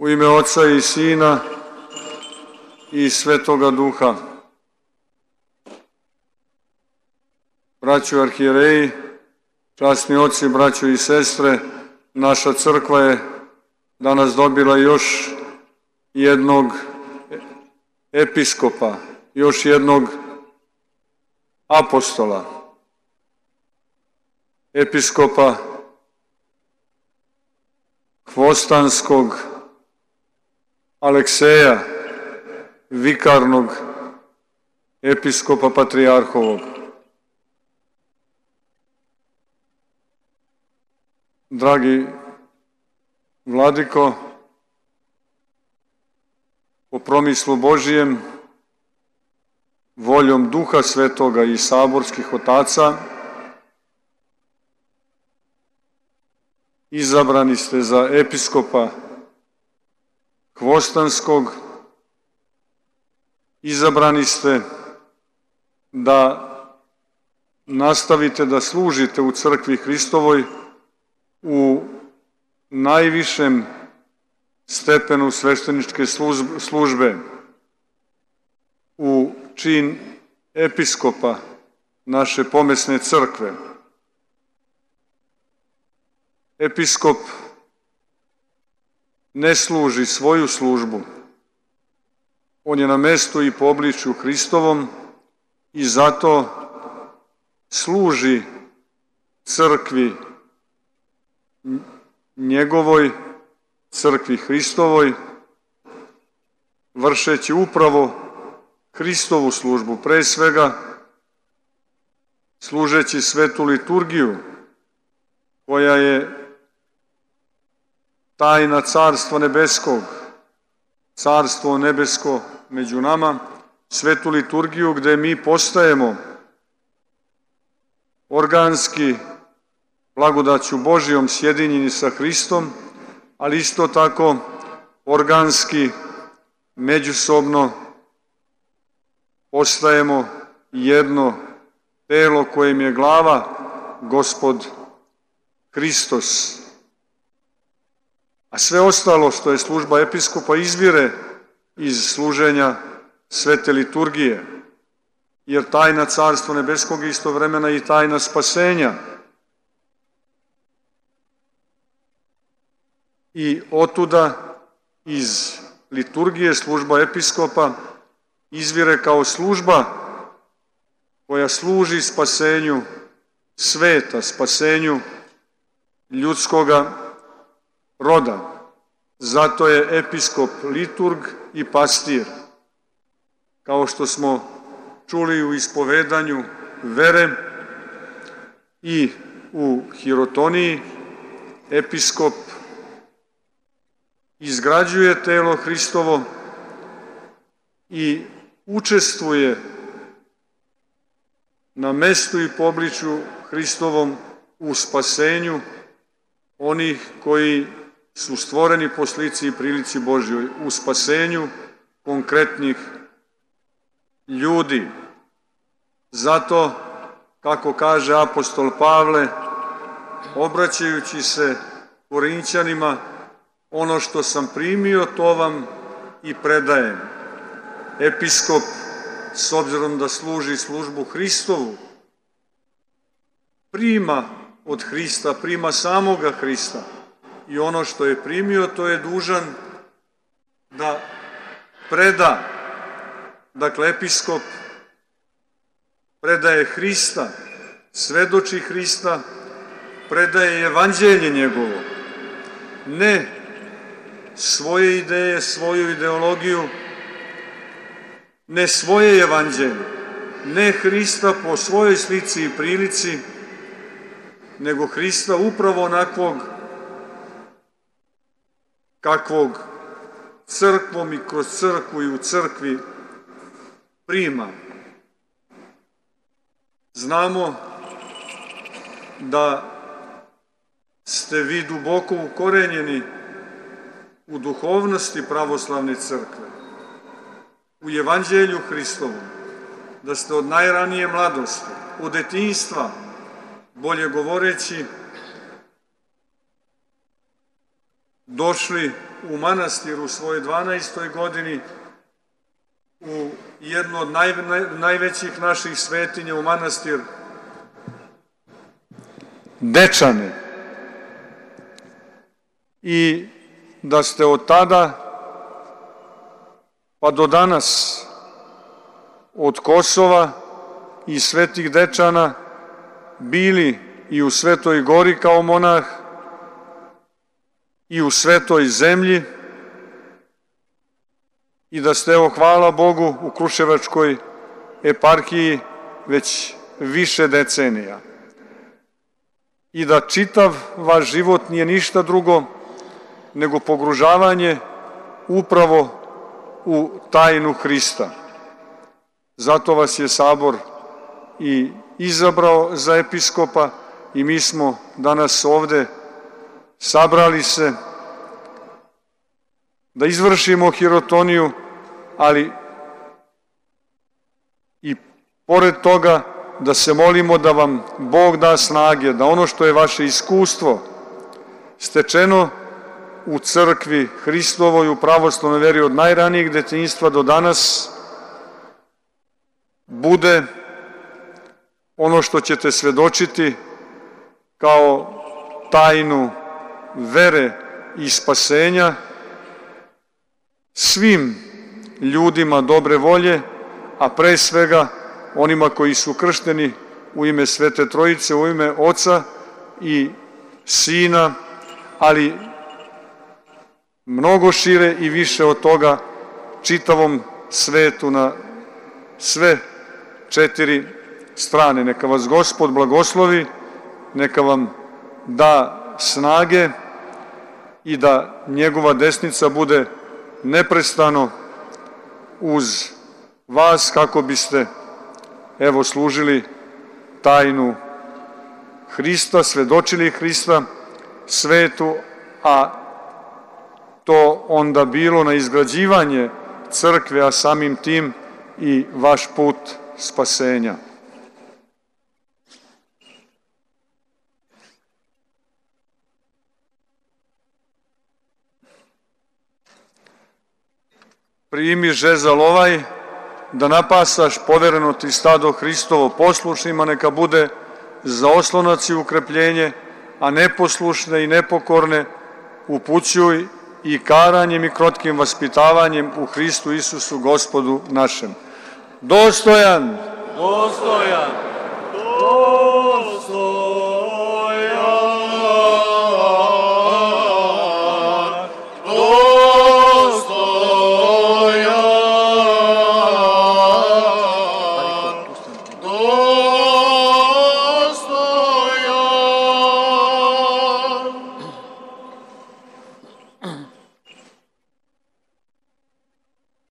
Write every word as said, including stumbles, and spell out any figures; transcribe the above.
U ime Oca i Sina i Svetoga Duha. Braćo arhijereji, časni oci, braćo i sestre, naša crkva je danas dobila još jednog episkopa, još jednog apostola, episkopa Hvostanskog Alekseja, vikarnog episkopa patrijarhovog. Dragi vladiko, po promislu Božijem, voljom Duha Svetoga i saborskih otaca, izabrani ste za episkopa Hvostanskog, izabrani ste da nastavite da služite u crkvi Hristovoj u najvišem stepenu svešteničke službe, u čin episkopa naše pomesne crkve. Episkop ne služi svoju službu, on je na mestu i po obličju Hristovom i zato služi crkvi njegovoj, crkvi Hristovoj, vršeći upravo Hristovu službu, pre svega služeći svetu liturgiju, koja je tajna Carstva nebeskog, Carstvo nebesko među nama, svetu liturgiju gde mi postajemo organski blagodaću Božijom sjedinjeni sa Hristom, ali isto tako organski međusobno postajemo jedno telo kojem je glava Gospod Hristos. A sve ostalo što je služba episkopa izvire iz služenja svete liturgije, jer tajna Carstva nebeskog je istovremena i tajna spasenja. I otuda iz liturgije služba episkopa izvire kao služba koja služi spasenju sveta, spasenju ljudskoga roda. Zato je episkop liturg i pastir. Kao što smo čuli u ispovedanju vere i u hirotoniji, episkop izgrađuje telo Hristovo i učestvuje na mestu i po obličju Hristovom u spasenju onih koji su stvoreni po slici i prilici Božjoj, u spasenju konkretnih ljudi. Zato, kako kaže apostol Pavle, obraćajući se Korinćanima, ono što sam primio, to vam i predajem. Episkop, s obzirom da služi službu Hristovu, prima od Hrista, prima samoga Hrista i ono što je primio, to je dužan da preda. Dakle, episkop predaje Hrista, svedoči Hrista, predaje evanđelje njegovo, ne svoje ideje, svoju ideologiju, ne svoje evanđelje, ne Hrista po svojoj slici i prilici, nego Hrista upravo onakvog kakvog crkvom i kroz crkvu i u crkvi prima. Znamo da ste vi duboko ukorenjeni u duhovnosti pravoslavne crkve, u evanđelju Hristovom, da ste od najranije mladosti, od detinjstva, bolje govoreći, došli u manastir u svojoj dvanaestoj godini, u jednu od naj, naj, najvećih naših svetinja, u manastir Dečane. I da ste od tada pa do danas od Kosova i Svetih Dečana bili i u Svetoj Gori kao monah i u Svetoj Zemlji i da ste, evo, hvala Bogu, u Kruševačkoj eparhiji već više decenija i da čitav vaš život nije ništa drugo nego pogružavanje upravo u tajnu Hrista. Zato vas je Sabor i izabrao za episkopa i mi smo danas ovde sabrali se da izvršimo hirotoniju, ali i pored toga da se molimo da vam Bog da snage, da ono što je vaše iskustvo stečeno u crkvi Hristovoj, u pravoslavnoj veri od najranijeg detinjstva do danas, bude ono što ćete svedočiti kao tajnu vere i spasenja svim ljudima dobre volje, a pre svega onima koji su kršteni u ime Svete Trojice, u ime Oca i Sina, ali mnogo šire i više od toga čitavom svetu na sve četiri strane. Neka vas Gospod blagoslovi, neka vam da snage i da njegova desnica bude neprestano uz vas kako biste, evo, služili tajnu Hrista, svedočili Hrista svetu, a to onda bilo na izgrađivanje crkve, a samim tim i vaš put spasenja. Primi žezal ovaj, da napasaš povereno ti stado Hristovo poslušnima, neka bude za oslonac i ukrepljenje, a neposlušne i nepokorne upućuj i karanjem i krotkim vaspitavanjem u Hristu Isusu Gospodu našem. Dostojan! Dostojan! Dostojan!